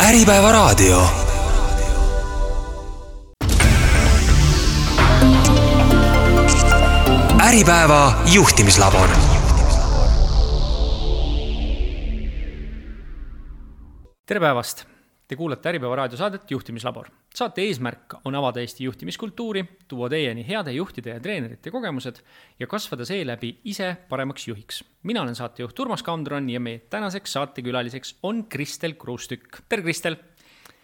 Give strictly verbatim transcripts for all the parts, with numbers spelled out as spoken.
Äripäeva raadio. Äripäeva juhtimislabor. Tere päevast! Te kuulate Äripäeva raadiosaadet Juhtimislabor. Saate eesmärk on avada Eesti juhtimiskultuuri, tuua teieni heade juhtide ja treenerite kogemused ja kasvada seeläbi ise paremaks juhiks. Mina olen saatejuht Urmas Kaundron ja meie tänaseks saatekülaliseks on Kristel Kruustükk. Tere Kristel!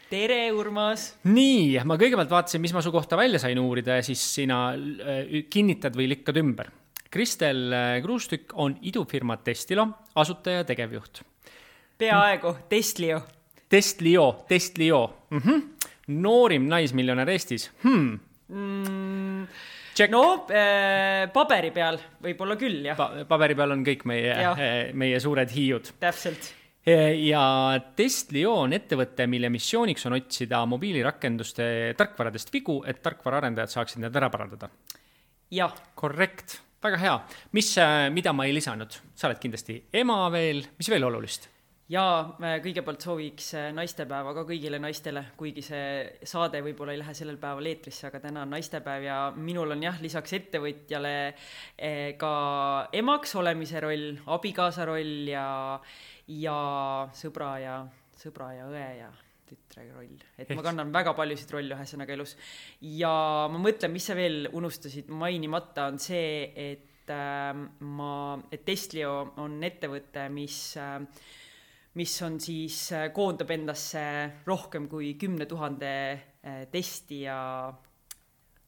Tere Urmas! Nii, ma kõigepealt vaatasin, mis ma su kohta välja sain uurida ja siis sina kinnitad või likkad ümber. Kristel Kruustükk on idufirma Testlio asutaja ja tegevjuht. Peaaegu, Testlio. Testlio, Testlio. Mm-hmm. Noorim naismiljonär Eestis. Hmm. Mm, no, äh, paberi peal võib-olla küll, jah. Pa- paberi peal on kõik meie, meie suured hiiud. Täpselt. Ja Testlio on ettevõte, mille missiooniks on otsida mobiilirakenduste tarkvaradest vigu, et tarkvaraarendajad saaksid need ära parandada. Jah. Korrekt. Väga hea. Mis, mida ma ei lisanud? Sa oled kindlasti ema veel. Mis veel olulist? Ja kõigepealt sooviks naistepäeva ka kõigile naistele, kuigi see saade võib-olla ei lähe sellel päeval eetrisse, aga täna on naistepäev ja minul on jah, lisaks ettevõtjale ka emaks olemise roll, abikaasa roll ja, ja sõbra ja, sõbra ja õe ja tütre roll. Et ma kannan väga paljusid rolle ühesõnaga elus. Ja ma mõtlen, mis sa veel unustasid mainimata, on see, et, äh, ma, et Testlio on ettevõte, mis äh, mis on siis koondab endasse rohkem kui kümne tuhande testi ja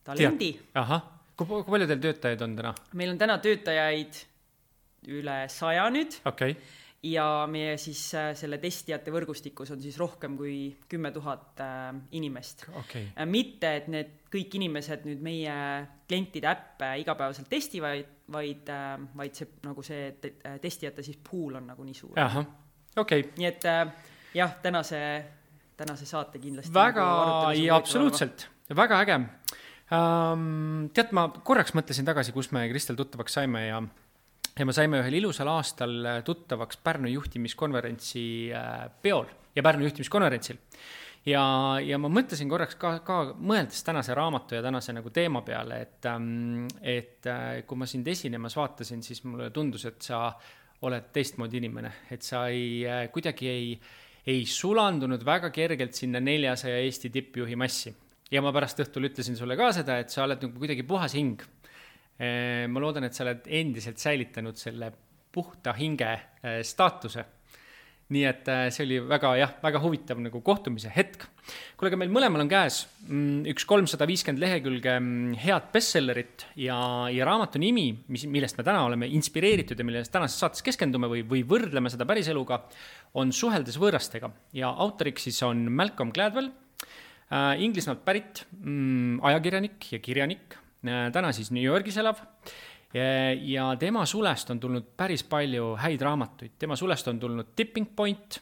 talendi. Aha. Kui, kui palju teil töötajaid on täna? Meil on täna töötajaid üle saja nüüd. Okay. Ja meie siis selle testijate võrgustikus on siis rohkem kui kümme tuhat inimest. Okay. Mitte, et need kõik inimesed nüüd meie klientide äppe igapäevaselt testivad, vaid, vaid see, nagu see testijate siis pool on nagu nii suur. Aha. Okay. Nii et jah, tänase, tänase saate kindlasti. Väga, ja absoluutselt. Väga äge. Um, tead, ma korraks mõtlesin tagasi, kus me Kristel tuttavaks saime ja, ja me saime ühel ilusal aastal tuttavaks Pärnu juhtimiskonverentsi peol ja Pärnu juhtimiskonverentsil. Ja, ja ma mõtlesin korraks ka, ka mõeldes tänase raamatu ja tänase nagu teema peale, et, et kui ma sind esinemas vaatasin, siis mulle tundus, et sa oled teistmoodi inimene, et sa ei, kuidagi ei, ei sulandunud väga kergelt sinna neljasaja Eesti tippjuhi massi. Ja ma pärast õhtul ütlesin sulle ka seda, et sa oled nagu kuidagi puhas hing. Ma loodan, et sa oled endiselt säilitanud selle puhta hinge staatuse. Nii et see oli väga, jah, väga huvitav nagu kohtumise hetk. Kuule, meil mõlemal on käes üks kolmsada viiskümmend lehekülge head bestsellerit ja, ja raamatu nimi, mis, millest me täna oleme inspireeritud ja millest tänases saates keskendume või, või võrdleme seda päris eluga, on Suheldes võõrastega. Ja autoriks siis on Malcolm Gladwell, äh, Inglismaalt pärit mm, ajakirjanik ja kirjanik, äh, täna siis New Yorgis elav. Ja tema sulest on tulnud päris palju häid raamatuid. Tema sulest on tulnud Tipping Point,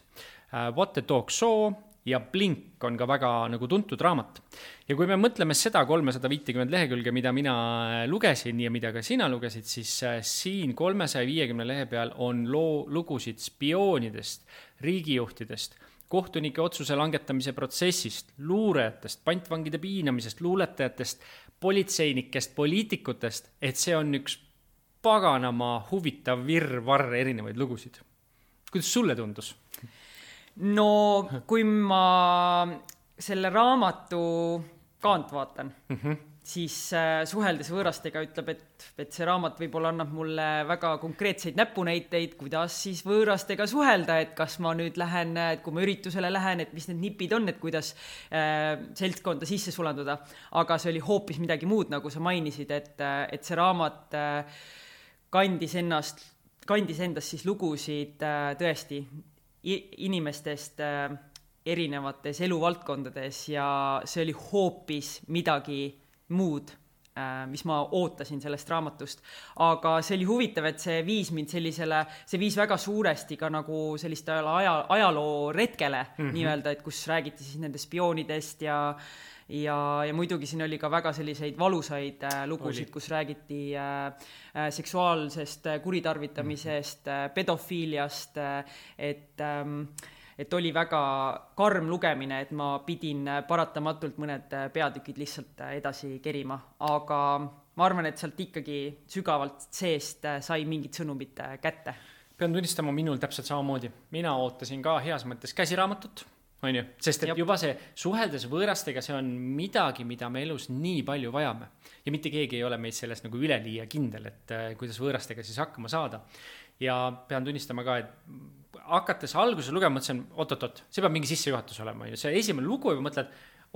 What the Dog Saw ja Blink on ka väga nagu tuntud raamat. Ja kui me mõtleme seda kolmsada viiskümmend lehekülge, mida mina lugesin ja mida ka sina lugesid, siis siin kolmesaja viiekümne lehe peal on loo, lugusid spioonidest, riigijuhtidest, kohtunike otsuse langetamise protsessist, luurajatest, pantvangide piinamisest, luuletajatest, politseinikest, poliitikutest, et see on üks paganama huvitav virvarr erinevaid lugusid. Kuidas sulle tundus? No, kui ma selle raamatu kaant vaatan, mm-hmm. siis äh, Suheldes võõrastega ütleb, et, et see raamat võib-olla annab mulle väga konkreetseid näpunäiteid, kuidas siis võõrastega suhelda, et kas ma nüüd lähen, et kui ma üritusele lähen, et mis need nipid on, et kuidas äh, seltskonda sisse sulanduda. Aga see oli hoopis midagi muud, nagu sa mainisid, et, et see raamat äh, kandis ennast, kandis endast siis lugusid äh, tõesti inimestest äh, erinevates eluvaldkondades ja see oli hoopis midagi muud, äh, mis ma ootasin sellest raamatust. Aga see oli huvitav, et see viis mind sellisele, see viis väga suuresti ka nagu selliste aja, ajaloo retkele mm-hmm. nii-öelda, et kus räägiti siis nende spioonidest ja Ja, ja muidugi siin oli ka väga selliseid valusaid äh, lugusid, oli. Kus räägiti äh, seksuaalsest kuritarvitamisest, mm-hmm. pedofiiliast, et, ähm, et oli väga karm lugemine, et ma pidin paratamatult mõned peatükid lihtsalt edasi kerima, aga ma arvan, et sealt ikkagi sügavalt seest sai mingid sõnumid kätte. Pean tunnistama minul täpselt samamoodi. Mina ootasin ka heas mõttes käsiraamatut, on ju? Sest et Jop. juba see suheldes võõrastega, see on midagi, mida me elus nii palju vajame. Ja mitte keegi ei ole meid selles nagu üleliia kindel, et kuidas võõrastega siis hakkama saada. Ja pean tunnistama ka, et hakates alguses lugema, mõtlesin, oot-oot-oot, see peab mingi sissejuhatus olema. See esimene lugu juba mõtled,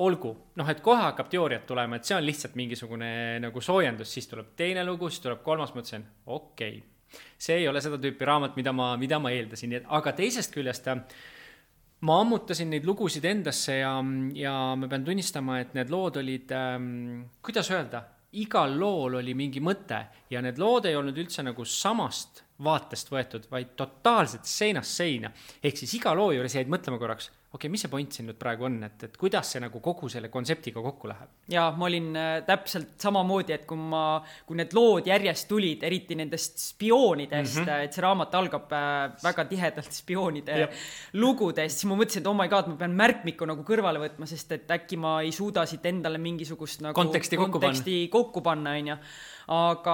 olgu, noh, et kohe hakkab teooriat tulema, et see on lihtsalt mingisugune nagu soojendus, siis tuleb teine lugu, siis tuleb kolmas, mõtlesin, okei, okay. see ei ole seda tüüpi raamat, mida ma, mida ma eeldasin, aga teisest küljest ma ammutasin neid lugusid endasse ja, ja ma pean tunnistama, et need lood olid, ähm, kuidas öelda, igal lool oli mingi mõte ja need lood ei olnud üldse nagu samast vaatest võetud, vaid totaalselt seinast seina. Ehk siis iga loo juures jäid mõtlema korraks, okei, okay, mis see point siin nüüd praegu on, et, et kuidas see nagu kogu selle kontseptiga kokku läheb? Ja ma olin täpselt samamoodi, et kui, ma, kui need lood järjest tulid, eriti nendest spioonidest, mm -hmm. et see raamat algab väga tihedalt spioonide Jep. lugudest, siis ma mõtlesin, et oh my god, ma pean märkmiku nagu kõrvale võtma, sest et äkki ma ei suuda siit endale mingisugust nagu konteksti kokku konteksti panna, kokku panna on ja. Aga,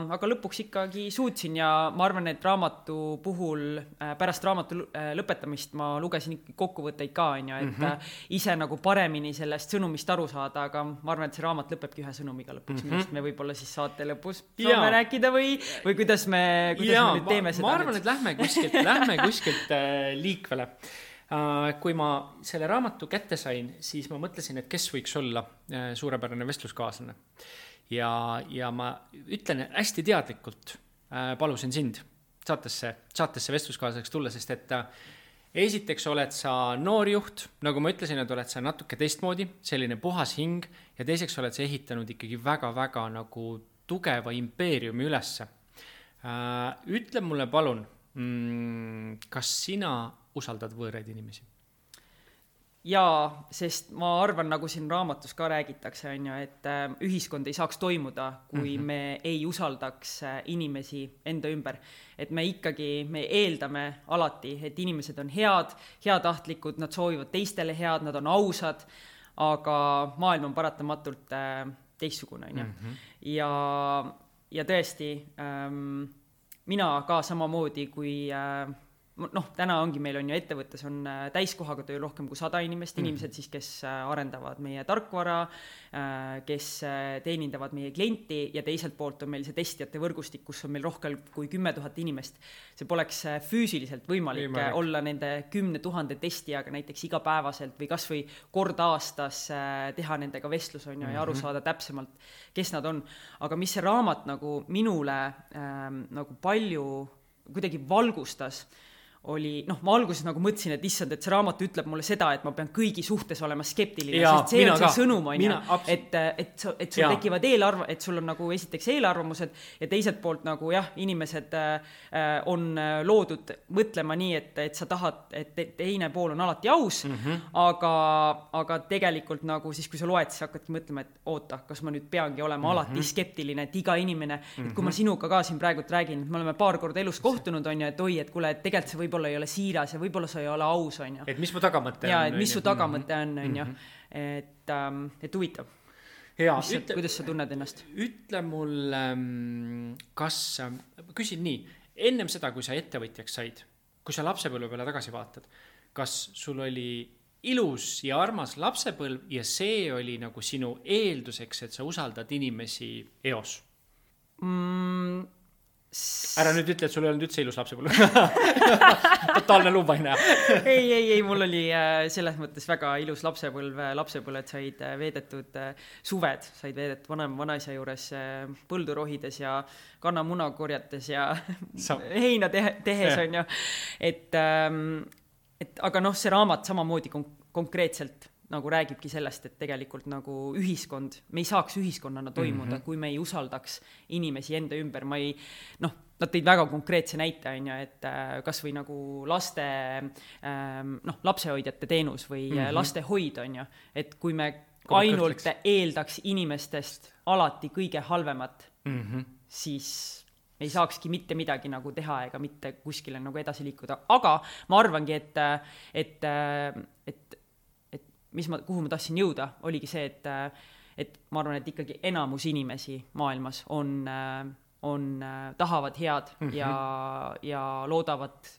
aga lõpuks ikkagi suutsin ja ma arvan, et raamatu puhul pärast raamatu lõpetamist ma lugesin kokkuvõtteid ka, on ja, et mm -hmm. ise nagu paremini sellest sõnumist aru saada, aga ma arvan, et see raamat lõpebki ühe sõnumiga lõpuks, mm -hmm. millest me võib-olla siis saate lõpus saame rääkida või, või kuidas me, kuidas ja, me nüüd teeme ma, seda. Ma arvan, et lähme kuskilt, lähme kuskilt äh, liikvele. Äh, kui ma selle raamatu kätte sain, siis ma mõtlesin, et kes võiks olla äh, suurepärane vestluskaaslane. Ja, ja ma ütlen hästi teadlikult, äh, palusin sind saatesse, saatesse vestluskaaslaseks tulla, sest et äh, esiteks oled sa noor juht, nagu ma ütlesin, et oled sa natuke teistmoodi, selline puhas hing ja teiseks oled sa ehitanud ikkagi väga-väga nagu tugeva impeeriumi ülesse. Äh, ütle mulle palun, mm, kas sina usaldad võõraid inimesi? Jaa, sest ma arvan, nagu siin raamatus ka räägitakse, on ju, et ühiskond ei saaks toimuda, kui mm-hmm. me ei usaldaks inimesi enda ümber. Et me ikkagi, me eeldame alati, et inimesed on head, heatahtlikud, nad soovivad teistele head, nad on ausad, aga maailm on paratamatult teistsugune, on ju. Mm-hmm. Ja, ja tõesti, ähm, mina ka samamoodi, kui... Äh, noh, täna ongi meil on ju ettevõttes on täiskohaga töö rohkem kui sada inimest, inimesed siis, kes arendavad meie tarkvara, kes teenindavad meie klienti ja teiselt poolt on meil see testijate võrgustik, kus on meil rohkem kui kümme tuhat inimest. See poleks füüsiliselt võimalik, võimalik olla nende kümne tuhande testijaga näiteks igapäevaselt või kas või kord aastas teha nendega vestlus on ju, ja aru saada täpsemalt, kes nad on. Aga mis see raamat nagu minule ähm, nagu palju kuidagi valgustas, oli, noh, ma alguses nagu mõtlesin, et issand, et see raamat ütleb mulle seda, et ma pean kõigi suhtes olema skeptiline, ja, sest see on see ka. Sõnum, on mina, ja, et, et, et sul ja. tekivad eelarv, et sul on nagu esiteks eelarvamused ja teiselt poolt nagu jah, inimesed äh, on loodud mõtlema nii, et, et sa tahad, et teine pool on alati aus, mm -hmm. aga, aga tegelikult nagu siis, kui sa loed, siis hakkadki mõtlema, et oota, kas ma nüüd peangi olema mm -hmm. alati skeptiline, et iga inimene, mm -hmm. et kui ma sinuga ka siin praegu räägin, et me oleme paar korda elus kohtunud, on ju, et oi, et kuule, et tegelikult see võib võib-olla ei ole siiras ja võib-olla sa ei ole aus, on ju. Et mis mu tagamõte ja, on. Et mis su tagamõte on, on ju. Et, ähm, et huvitav. Ja, mis, ütle, kuidas sa tunned ennast? Ütle mul, kas, küsin nii, ennem seda, kui sa ettevõtjaks said, kui sa lapsepõlve peale tagasi vaatad, kas sul oli ilus ja armas lapsepõlv ja see oli nagu sinu eelduseks, et sa usaldad inimesi eos? Mm, Ära nüüd ütle, et sul ei olnud üldse ilus lapsepõlv. Totaalne luubaine. ei, ei, ei, mul oli selles mõttes väga ilus lapsepõlv. Lapsepõlved said veedetud suved, said veedetud vanem vanaisa juures põldurohides ja kannamuna korjates ja Sa... heina tehe, tehes on ju. Et, et, aga noh, see raamat samamoodi kon- konkreetselt nagu räägibki sellest, et tegelikult nagu ühiskond, me ei saaks ühiskonnana toimuda, mm-hmm. kui me ei usaldaks inimesi enda ümber. Ma ei, noh, nad tõid väga konkreetse näite, on ju, et kas või nagu laste, noh, lapsehoidjate teenus või mm-hmm. lastehoid, on ju, et kui me ainult eeldaks inimestest alati kõige halvemat, mm-hmm. siis ei saakski mitte midagi nagu teha ega mitte kuskile nagu edasi liikuda, aga ma arvangi, et et, et, et mis ma, kuhu ma tahtsin jõuda, oligi see, et et ma arvan, et ikkagi enamus inimesi maailmas on, on, tahavad head mm-hmm. ja, ja loodavad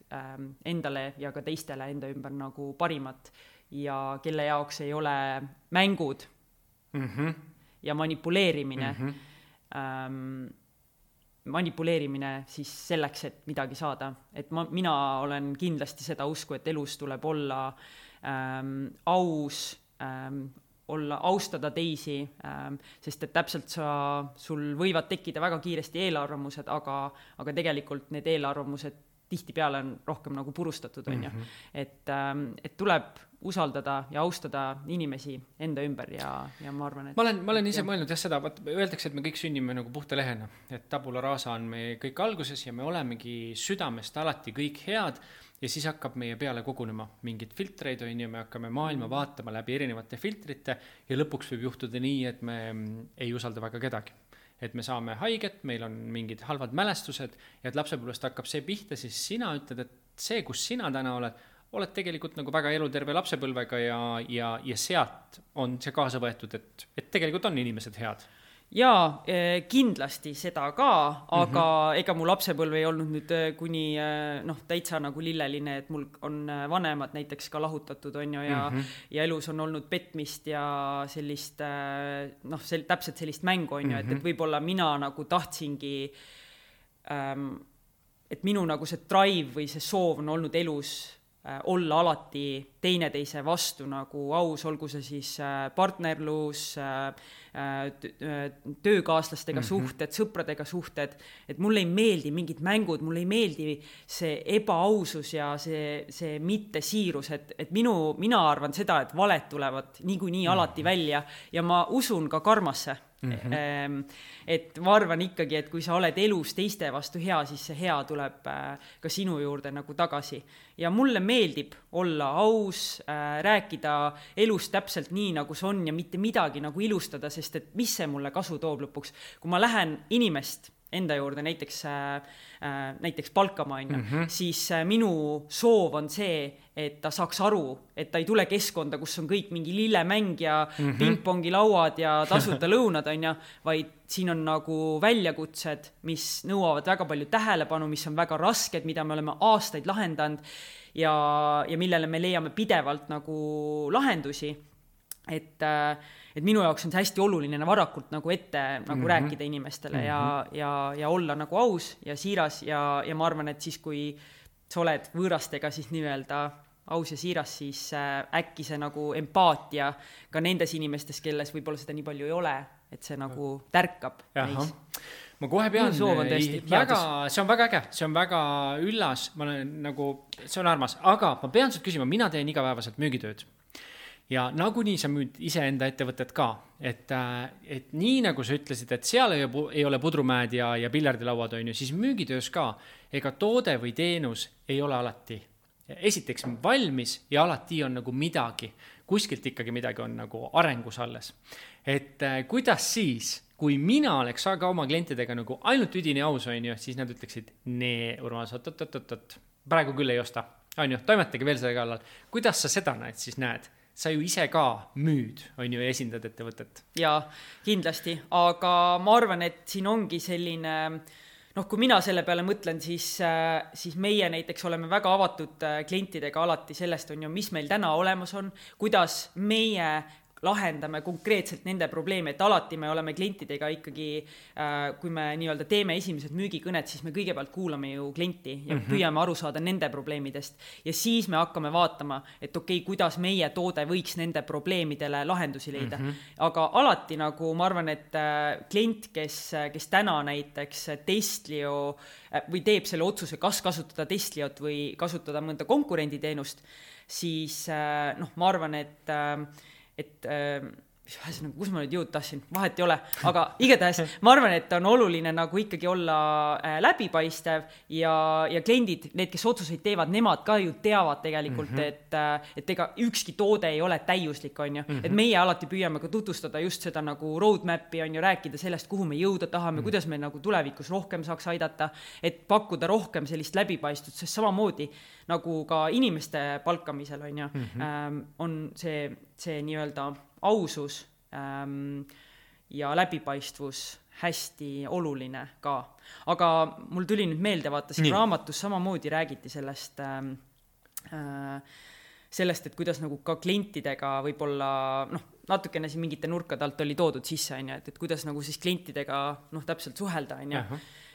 endale ja ka teistele enda ümber nagu parimat ja kelle jaoks ei ole mängud mm-hmm. ja manipuleerimine mm-hmm. ähm, manipuleerimine siis selleks, et midagi saada. Et ma, mina olen kindlasti seda usku, et elus tuleb olla ähm, aus, ähm, olla, austada teisi, ähm, sest et täpselt sa, sul võivad tekkida väga kiiresti eelarvamused, aga, aga tegelikult need eelarvamused tihtipeale on rohkem nagu purustatud, on ju. Mm-hmm. Et, ähm, et tuleb usaldada ja austada inimesi enda ümber ja, ja ma arvan, et... Ma olen, ma olen ise ja... mõelnud jah seda, öeldakse, et me kõik sünnime nagu puhta lehena, et tabula rasa on me kõik alguses ja me olemegi südamest alati kõik head ja siis hakkab meie peale kogunema mingid filtreid, on ju, me hakkame maailma vaatama läbi erinevate filtrite ja lõpuks võib juhtuda nii, et me ei usalda väga kedagi. Et me saame haiget, meil on mingid halvad mälestused ja et lapsepõlvest hakkab see pihta, siis sina ütled, et see, kus sina täna oled, oled tegelikult nagu väga eluterve lapsepõlvega ja, ja, ja sealt on see kaasa võetud, et, et tegelikult on inimesed head. Jaa, kindlasti seda ka, aga mm-hmm. ega mu lapsepõlv ei olnud nüüd kuni noh, täitsa nagu lilleline, et mul on vanemad näiteks ka lahutatud, on ju, ja, mm-hmm. ja elus on olnud petmist ja sellist, noh, sel, täpselt sellist mängu, on ju, mm-hmm. et, et võib-olla mina nagu tahtsingi, ähm, et minu nagu see drive või see soov on olnud elus olla alati teineteise vastu nagu aus, olgu see siis partnerlus, töökaaslastega mm-hmm. suhted, sõpradega suhted, et mulle ei meeldi mingid mängud, mulle ei meeldi see ebaausus ja see, see mittesiirus, et, et minu, mina arvan seda, et valed tulevad niikuinii mm-hmm. alati välja ja ma usun ka karmasse. Mm-hmm. Et ma arvan ikkagi, et kui sa oled elus teiste vastu hea, siis see hea tuleb ka sinu juurde nagu tagasi. Ja mulle meeldib olla aus, rääkida elus täpselt nii, nagu see on ja mitte midagi nagu ilustada, sest et mis see mulle kasu toob lõpuks. Kui ma lähen inimest enda juurde näiteks, näiteks palkama, mm-hmm. siis minu soov on see, et ta saaks aru, et ta ei tule keskkonda, kus on kõik mingi lillemäng ja mm-hmm. pingpongi lauad ja tasuta lõunad, on ja, vaid siin on nagu väljakutsed, mis nõuavad väga palju tähelepanu, mis on väga rasked, mida me oleme aastaid lahendanud ja, ja millele me leiame pidevalt nagu lahendusi. Et, et minu jaoks on see hästi oluline varakult nagu ette nagu mm-hmm. rääkida inimestele mm-hmm. ja, ja, ja olla nagu aus ja siiras ja, ja ma arvan, et siis kui sa oled võõrastega siis nii-öelda aus ja siiras, siis äkki see nagu empaatia ka nendes inimestes, kelles võib-olla seda nii palju ei ole, et see nagu tärkab neis. Ma kohe pean, ei, väga, see on väga äge, see on väga üllas, ma olen nagu, see on armas, aga ma pean sult küsima, mina teen igapäevaselt müügitööd. Ja nagunii sa müüd iseenda ettevõtet ka, et, et nii nagu sa ütlesid, et seal ei, ei ole pudrumäed ja, ja piljardilauad on ju, siis müügitöös ka, ega toode või teenus ei ole alati. Esiteks valmis ja alati on nagu midagi, kuskilt ikkagi midagi on nagu arengus alles. Et kuidas siis, kui mina oleks aga oma klientidega nagu ainult üdini aus on ju, siis nad ütleksid, nee, Urmas, oot, oot, oot, oot, praegu küll ei osta, on ju, toimetagi veel selle kallal. Kuidas sa seda näed, siis näed? Sa ju ise ka müüd, on ju, esindad ettevõtet. Jaa, kindlasti, aga ma arvan, et siin ongi selline, noh, kui mina selle peale mõtlen, siis, siis meie näiteks oleme väga avatud klientidega alati sellest, on ju, mis meil täna olemas on, kuidas meie lahendame konkreetselt nende probleeme, et alati me oleme klientidega ikkagi, kui me nii-öelda teeme esimesed müügikõned, siis me kõigepealt kuulame ju klienti ja mm-hmm. püüame aru saada nende probleemidest ja siis me hakkame vaatama, et okei, kuidas meie toode võiks nende probleemidele lahendusi leida. Mm-hmm. Aga alati nagu ma arvan, et klient, kes, kes täna näiteks Testlio või teeb selle otsuse, kas kasutada Testliot või kasutada mõnda konkurenditeenust, siis noh, ma arvan, et et Nagu, kus ma nüüd jõud tahtsin, vahet ei ole, aga igatahes ma arvan, et on oluline nagu ikkagi olla äh, läbipaistev ja, ja kliendid, need, kes otsuseid teevad, nemad ka ju teavad tegelikult, mm -hmm. et, äh, et ega ükski toode ei ole täiuslik, on ju. Mm -hmm. Et meie alati püüame ka tutvustada just seda nagu roadmapi, on ju, rääkida sellest, kuhu me jõuda tahame, mm -hmm. kuidas me nagu tulevikus rohkem saaks aidata, et pakkuda rohkem sellist läbipaistvust, sest samamoodi nagu ka inimeste palkamisel, on ju, mm -hmm. ähm, on see, see nii-öelda ausus ähm, ja läbipaistvus hästi oluline ka. Aga mul tuli nüüd meelde, vaata, siin raamatus samamoodi räägiti sellest, ähm, äh, sellest, et kuidas nagu ka klientidega võib-olla, noh, natukene siin mingite nurkade alt oli toodud sisse, on ju, et, et kuidas nagu siis klientidega, noh, täpselt suhelda, on ju,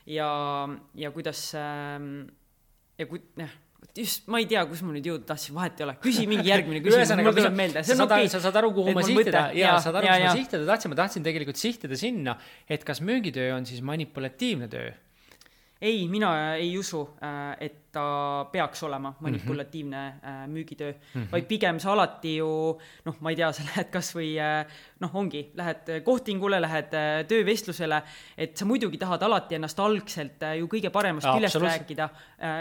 ja, ja kuidas ähm, ja kui, jah, just, ma ei tea, kus ma nüüd jõuda tahtsin, vahet ei ole. Küsi mingi järgmine küsimus, mul tuleb meelde. See on okei. Sa saad aru, kuhu ma sihtida, ja saad aru, kus ma sihtida tahtsin. Ma tahtsin tegelikult sihtida sinna, et kas müügitöö on siis manipulatiivne töö? Ei, mina ei usu, et ta peaks olema manipulatiivne mm-hmm. müügitöö, mm-hmm. vaid pigem sa alati ju, noh, ma ei tea, sa lähed kas või, noh, ongi, lähed kohtingule, lähed töövestlusele, et sa muidugi tahad alati ennast algselt ju kõige paremast ja, küljest rääkida,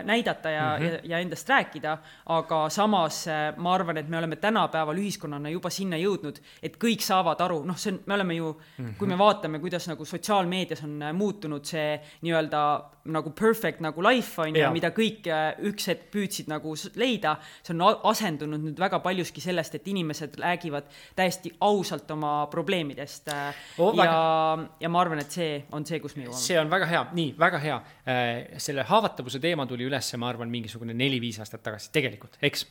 näidata ja, mm-hmm. ja, ja endast rääkida, aga samas ma arvan, et me oleme tänapäeval ühiskonnana juba sinna jõudnud, et kõik saavad aru, noh, see on, me oleme ju, mm-hmm. kui me vaatame, kuidas nagu sotsiaalmeedias on muutunud see nii-öelda nagu perfect nagu life on ja mida kõik üks hetk püüdsid nagu leida, see on asendunud nüüd väga paljuski sellest, et inimesed räägivad täiesti ausalt oma probleemidest oh, ja, ja ma arvan, et see on see, kus me jõuame. See on väga hea, nii, väga hea. Selle haavatavuse teema tuli üles, ma arvan, mingisugune neli-viis aastat tagasi, tegelikult, eks?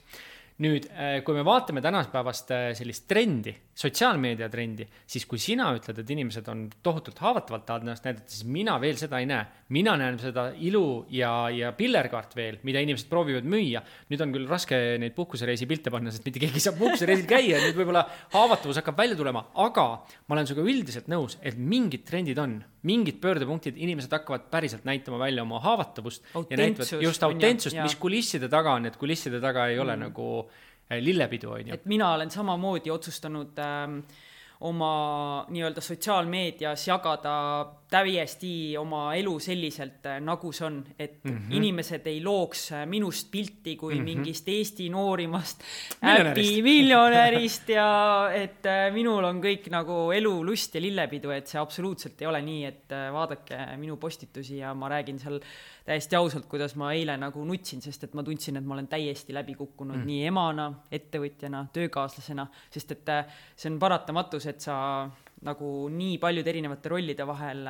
Nüüd, kui me vaatame tänaspäevast sellist trendi, sotsiaalmeedia trendi, siis kui sina ütled, et inimesed on tohutult haavatavalt tahavad ennast näidata, siis mina veel seda ei näe. Mina näen seda ilu ja, ja pillerkaart veel, mida inimesed proovivad müüa. Nüüd on küll raske neid puhkusereisi pilte panna, sest mitte keegi saab puhkusereisil käia, nüüd võib-olla haavatavus hakkab välja tulema, aga ma olen sinuga üldiselt nõus, et mingid trendid on, mingid pöördepunktid, inimesed hakkavad päriselt näitama välja oma haavatavust ja näitavad just autentsust, mis kulisside taga on, et kulisside taga ei ole mm. nagu lillepidu, on ju. Et mina olen samamoodi otsustanud ähm, oma nii-öelda sotsiaalmeedias jagada täiesti oma elu selliselt, nagu see on, et mm-hmm. inimesed ei looks minust pilti kui mm-hmm. mingist Eesti noorimast äpi miljonärist ja et minul on kõik nagu elu, lust ja lillepidu, et see absoluutselt ei ole nii, et vaadake minu postitusi ja ma räägin seal täiesti ausalt, kuidas ma eile nagu nutsin, sest et ma tundsin, et ma olen täiesti läbi kukkunud mm. nii emana, ettevõtjana, töökaaslasena, sest et see on paratamatus, et sa nagu nii paljud erinevate rollide vahel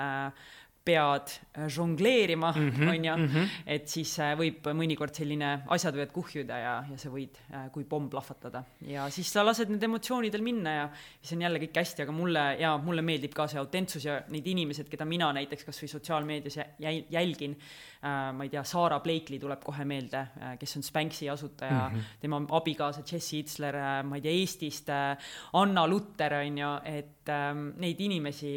pead žongleerima, mm-hmm, on ja, mm-hmm. et siis võib mõnikord selline asjad võivad kuhjuda ja, ja sa võid kui pomm plahvatada. Ja siis sa lased need emotsioonidel minna ja see on jälle kõik hästi, aga mulle, ja mulle meeldib ka see autentsus ja neid inimesed, keda mina näiteks kas või sotsiaalmeedias jälgin, ma ei tea, Saara Blakely tuleb kohe meelde, kes on Spanxi asutaja, mm-hmm. tema abikaasa Jesse Itzler, ma ei tea, Eestist, Anna Lutter on ju, et neid inimesi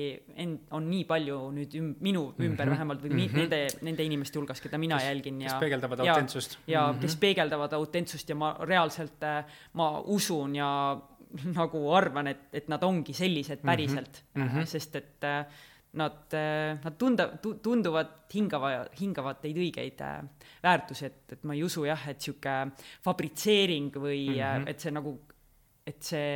on nii palju nüüd minu ümber mm-hmm. vähemalt või mm-hmm. nende, nende inimeste hulgas, keda mina kes, jälgin. Ja, kes peegeldavad ja, autentsust. Ja mm-hmm. kes peegeldavad autentsust ja ma reaalselt ma usun ja nagu arvan, et, et nad ongi sellised päriselt, mm-hmm. sest et nad, nad tunda, tunduvad hingava, hingavad teid õigeid väärtusi, et, et ma ei usu jah, et siuke fabritseering või mm-hmm. et see nagu, et see,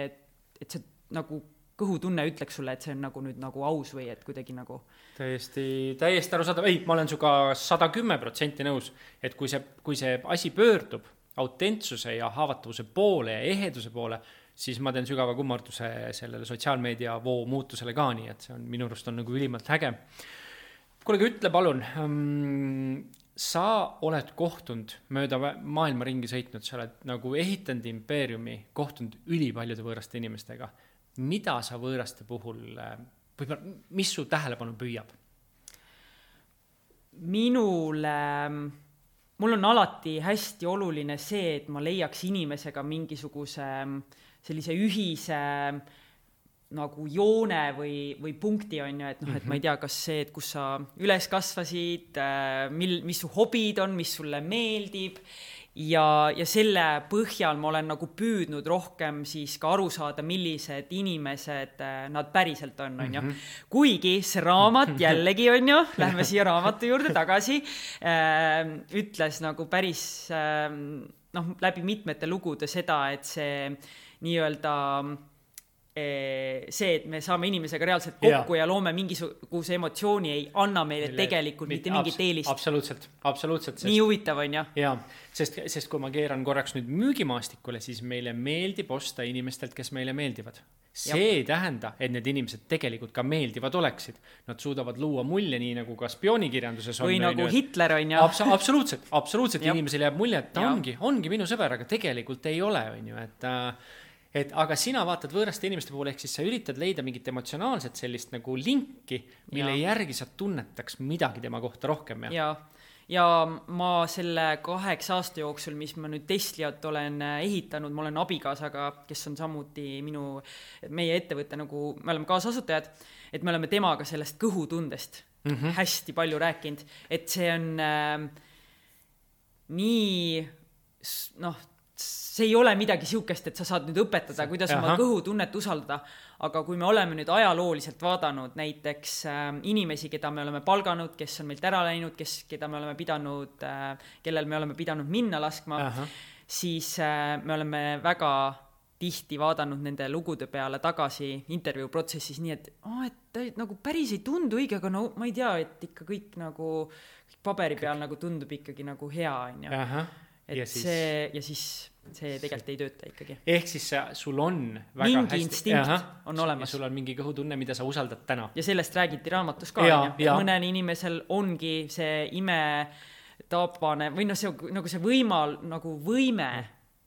et see nagu kõhutunne ütleks sulle, et see on nagu nüüd nagu aus või et kuidagi nagu täiesti, täiesti aru saada, ei, ma olen suga sada kümme protsenti nõus, et kui see, kui see asi pöördub autentsuse ja haavatavuse poole ja eheduse poole, siis ma teen sügava kummarduse sellele sotsiaalmeedia voo muutusele ka nii, et see on minu arust on nagu ülimalt äge. Kuulge, ütle palun, um, sa oled kohtunud mööda maailma ringi sõitnud, sa oled nagu ehitanud impeeriumi, kohtunud ülipaljude võõraste inimestega. Mida sa võõraste puhul, võib-olla, mis su tähelepanu püüab? Minule, mul on alati hästi oluline see, et ma leiaks inimesega mingisuguse sellise ühise nagu joone või, või punkti on ju, et noh, et ma ei tea, kas see, et kus sa üles kasvasid, mil, mis su hobid on, mis sulle meeldib ja, ja selle põhjal ma olen nagu püüdnud rohkem siis ka aru saada, millised inimesed nad päriselt on, on ju. Kuigi see raamat jällegi on ju, lähme siia raamatu juurde tagasi, äh, ütles nagu päris äh, noh, läbi mitmete lugude seda, et see nii-öelda see, et me saame inimesega reaalselt kokku ja, ja loome mingisuguse emotsiooni, ei anna meile Mille, tegelikult mitte mingit eelist. Absoluutselt, absoluutselt. Sest, nii huvitav on, jah? Jaa, sest, sest kui ma keeran korraks nüüd müügimaastikule, siis meile meeldib osta inimestelt, kes meile meeldivad. See ja. Ei tähenda, et need inimesed tegelikult ka meeldivad oleksid. Nad suudavad luua mulje nii, nagu ka spioonikirjanduses on. Või nagu et, Hitler on, jah? Abs- absoluutselt, absoluutselt inimesel jääb mulje, et ta ongi, ongi minu sõber, aga tegelikult ei ole, on ju, et et aga sina vaatad võõraste inimeste puhul, ehk siis sa üritad leida mingit emotsionaalset sellist nagu linki, mille ja. Järgi sa tunnetaks midagi tema kohta rohkem. Ja, ja ma selle kaheksa aasta jooksul, mis ma nüüd Tesliat olen ehitanud, ma olen abikaasaga, kes on samuti minu, meie ettevõtte nagu, me oleme kaasasutajad, et me oleme temaga sellest kõhutundest mm-hmm. hästi palju rääkinud, et see on äh, nii, noh, see ei ole midagi siukest, et sa saad nüüd õpetada, kuidas Aha. oma kõhutunnet usaldada, aga kui me oleme nüüd ajalooliselt vaadanud näiteks äh, inimesi, keda me oleme palganud, kes on meilt ära läinud, kes, keda me oleme pidanud, äh, kellel me oleme pidanud minna laskma, Aha. siis äh, me oleme väga tihti vaadanud nende lugude peale tagasi intervjuu protsessis nii, et, oh, et ta nagu päris ei tundu õige, aga no ma ei tea, et ikka kõik nagu paberi peal nagu tundub ikkagi nagu hea, on ju. Et ja siis, see, ja siis see tegelikult ei tööta ikkagi. Ehk siis sul on väga mingi hästi... instinkt Aha, on olemas. Ja sul on mingi kõhutunne, mida sa usaldad täna. Ja sellest räägiti raamatus ka. Ja, ja. Mõnel inimesel ongi see ime tapane, või no see, nagu see võimal, nagu võime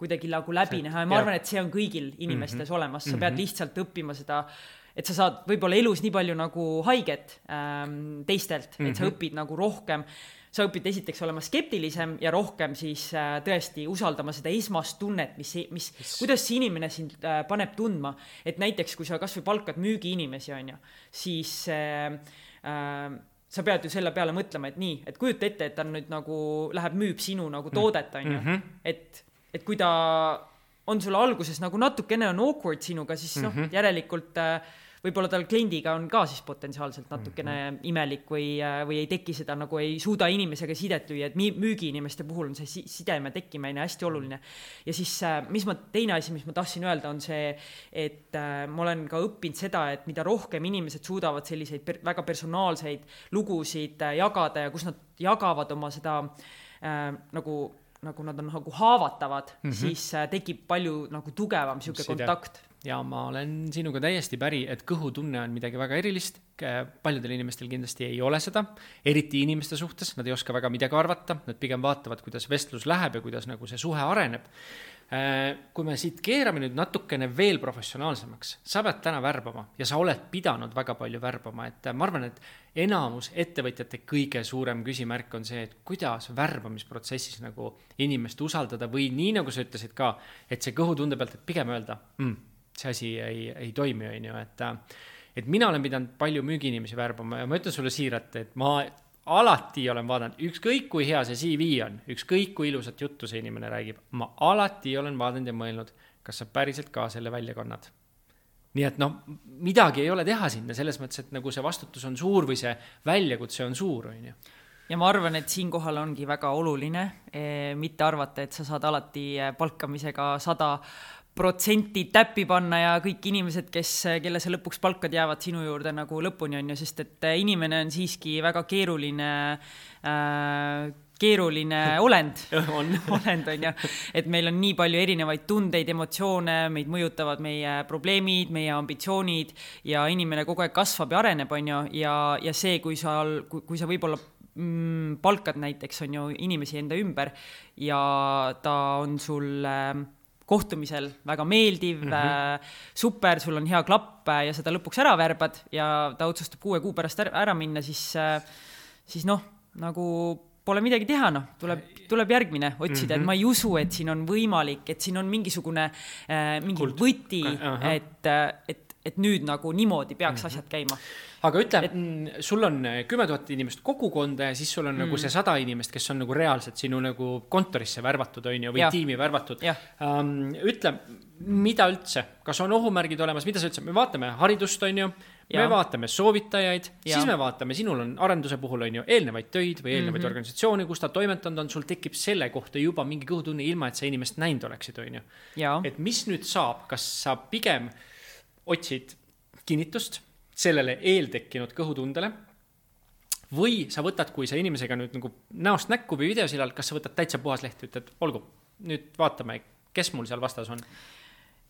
kuidagi nagu läbi näha. Ja ma arvan, et see on kõigil inimestes mm-hmm. olemas. Sa pead lihtsalt õppima seda, et sa saad võib-olla elus nii palju nagu haiget ähm, teistelt, et mm-hmm. sa õpid nagu rohkem. Sa õpid esiteks olema skeptilisem ja rohkem siis äh, tõesti usaldama seda esmast tunnet, mis, mis, mis... kuidas see inimene sind äh, paneb tundma. Et näiteks, kui sa kas või palkad müügi inimesi, on ju, siis äh, äh, sa pead ju selle peale mõtlema, et nii, et kujuta ette, et ta nüüd nagu läheb müüb sinu nagu toodet, on ju. Mm-hmm. Et, et kui ta on sulle alguses nagu natukene on awkward sinuga, siis noh, mm-hmm. järelikult... Äh, võib-olla tal kliendiga on ka siis potentsiaalselt natukene mm-hmm. imelik või, või ei teki seda, nagu ei suuda inimesega sidet lüüa, et müügi inimeste puhul on see sideme tekkimine hästi oluline. Ja siis, mis ma, teine asi, mis ma tahtsin öelda, on see, et ma olen ka õppinud seda, et mida rohkem inimesed suudavad selliseid per, väga personaalseid lugusid jagada ja kus nad jagavad oma seda äh, nagu, nagu nad on nagu haavatavad, mm-hmm. siis tekib palju nagu tugevam siuke Side. Kontakt. Ja ma olen sinuga täiesti päri, et kõhutunne on midagi väga erilist. Paljudel inimestel kindlasti ei ole seda, eriti inimeste suhtes. Nad ei oska väga midagi arvata, nad pigem vaatavad, kuidas vestlus läheb ja kuidas nagu see suhe areneb. Kui me siit keerame nüüd natukene veel professionaalsemaks, sa pead täna värbama ja sa oled pidanud väga palju värbama. Et ma arvan, et enamus ettevõtjate kõige suurem küsimärk on see, et kuidas värbamisprotsessis nagu inimest usaldada või nii nagu sa ütlesid ka, et see kõhutunde pealt, et pigem öelda, mm, see asi ei, ei toimi, on ju, et, et mina olen pidanud palju müügiinimesi värbama ja ma ütlen sulle siirat, et ma alati olen vaadanud, ükskõik kui hea see C V on, ükskõik kui ilusat juttu see inimene räägib, ma alati olen vaadanud ja mõelnud, kas sa päriselt ka selle välja kannad. Nii et noh, midagi ei ole teha sinna, selles mõttes, et nagu see vastutus on suur või see väljakutse on suur, on ju. Ja ma arvan, et siin kohal ongi väga oluline, eh, mitte arvata, et sa saad alati palkamisega sada protsenti täppi panna ja kõik inimesed, kes, kelle sa lõpuks palkad, jäävad sinu juurde nagu lõpuni, on ju, sest et inimene on siiski väga keeruline, äh, keeruline olend, on. olend on ju, et meil on nii palju erinevaid tundeid, emotsioone, meid mõjutavad meie probleemid, meie ambitsioonid ja inimene kogu aeg kasvab ja areneb, on ju, ja, ja see, kui sa, kui, kui sa võib-olla mm, palkad näiteks, on ju, inimesi enda ümber ja ta on sul äh, kohtumisel väga meeldiv, mm-hmm. super, sul on hea klapp ja seda lõpuks ära värbad ja ta otsustab kuue kuu pärast ära minna, siis, siis noh, nagu pole midagi teha, noh, tuleb, tuleb järgmine otsida, mm-hmm. et ma ei usu, et siin on võimalik, et siin on mingisugune äh, mingi Kult. Võti, uh-huh. et, et, et nüüd nagu niimoodi peaks mm-hmm. asjad käima. Aga ütle, et... sul on kümme tuhat inimest kogukonda ja siis sul on mm. nagu see sada inimest, kes on nagu reaalselt sinu nagu kontorisse värvatud, on ju, või ja. tiimi värvatud. Um, ütle, mida üldse, kas on ohumärgid olemas, mida sa üldse, me vaatame haridust, on ju, me ja. vaatame soovitajaid, ja. siis me vaatame, sinul on arenduse puhul, on ju, eelnevaid töid või eelnevaid mm-hmm. organisatsiooni, kus ta toimetanud on, sul tekib selle kohta juba mingi kõhutunne ilma, et sa inimest näinud oleksid, on ju. Ja. Et mis nüüd saab, kas sa pigem otsid kinnitust sellele eeltekkinud kõhutundele või sa võtad, kui sa inimesega nüüd nagu näost näkku või videosilal, kas sa võtad täitsa puhas lehti, ütled, olgu, nüüd vaatame, kes mul seal vastas on?